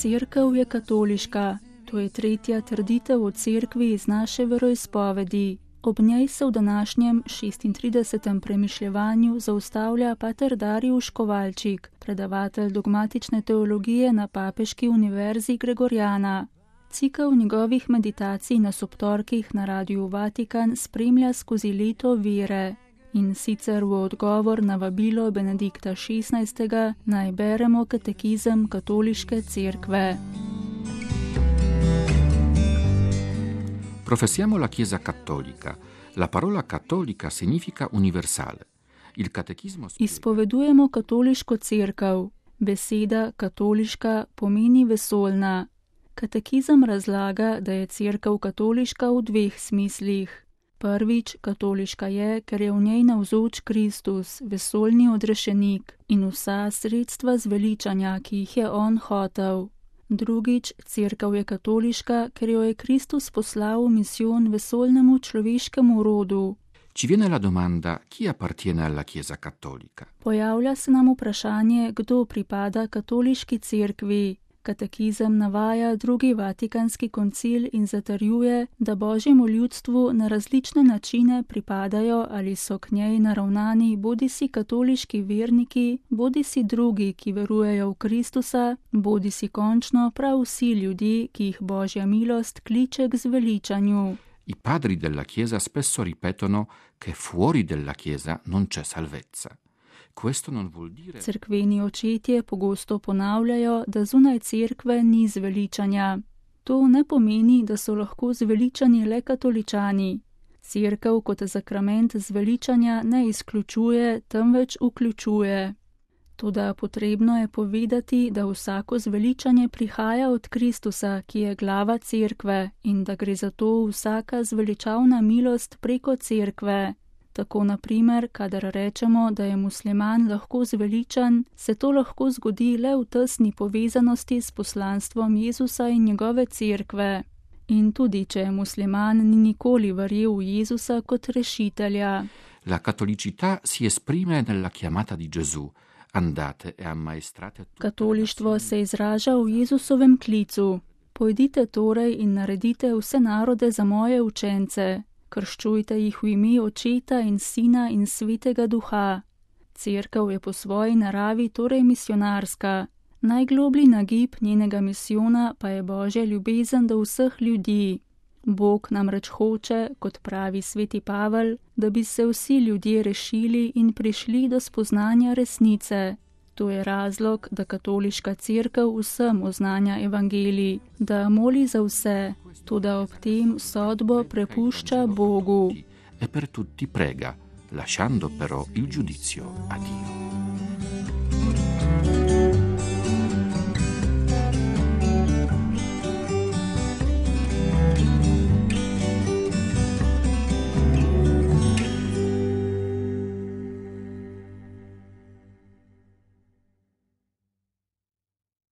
Cerkev je katoliška. To je tretja trditev o cerkvi iz naše veroizpovedi. Ob njej se v današnjem 36. premišljevanju zaustavlja pater Dariusz Kovalčik, predavatelj dogmatične teologije na Papeški univerzi Gregoriana. Cikel njegovih meditacij na sobtorkih na Radiu Vatikan spremlja skozi leto vere. In sicer v odgovor na vabilo Benedikta XVI. Naj beremo katekizem katoliške cerkve. Professiamo la Chiesa cattolica. La parola cattolica significa universale. Il catechismo... Izpovedujemo katoliško cerkev. Beseda katoliška pomeni vesoljna. Katekizem razlaga, da je cerkev katoliška v dveh smislih. Prvič, katoliška je, ker je v njej navzoč Kristus, vesoljni odrešenik in vsa sredstva zveličanja, ki jih je on hotel. Drugič, cerkev je katoliška, ker jo je Kristus poslal v misijon vesoljnemu človeškemu rodu. Ci viene la domanda, chi appartiene alla Chiesa cattolica? Pojavlja se nam vprašanje, kdo pripada katoliški cerkvi. Katekizem navaja drugi Vatikanski koncil in zatrjuje, da Božjemu ljudstvu na različne načine pripadajo ali so k njej naravnani bodisi katoliški verniki, bodisi drugi, ki verujejo v Kristusa, bodisi končno prav vsi ljudje, ki jih Božja milost kliče k zveličanju. I padri della Chiesa spesso ripetono che fuori della Chiesa non c'è salvezza. Cerkveni očetje pogosto ponavljajo, da zunaj cerkve ni zveličanja. To ne pomeni, da so lahko zveličani le katoličani. Cerkev kot zakrament zveličanja ne izključuje, temveč vključuje. Toda potrebno je povedati, da vsako zveličanje prihaja od Kristusa, ki je glava cerkve, in da gre za to vsaka zveličavna milost preko cerkve. Tako naprimer, kadar rečemo, da je musliman lahko zveličan, se to lahko zgodi le v tesni povezanosti s poslanstvom Jezusa in njegove cerkve. In tudi, če je musliman, ni nikoli verjel v Jezusa kot rešitelja. La cattolicità si esprime nella chiamata di Gesù. Andate e ammaestrate. Katolištvo se izraža v Jezusovem klicu. Pojdite torej in naredite vse narode za moje učence. Krščujte jih v ime Očeta in Sina in Svetega Duha. Cerkev je po svoji naravi torej misionarska. Najgloblji nagib njenega misijona pa je Božja ljubezen do vseh ljudi. Bog namreč hoče, kot pravi sveti Pavel, da bi se vsi ljudje rešili in prišli do spoznanja resnice. To je razlog, da katoliška cerkev vsem oznanja evangelij, da moli za vse, toda ob tem sodbo prepušča Bogu. E per tutti prega, lasciando però il giudizio a Dio.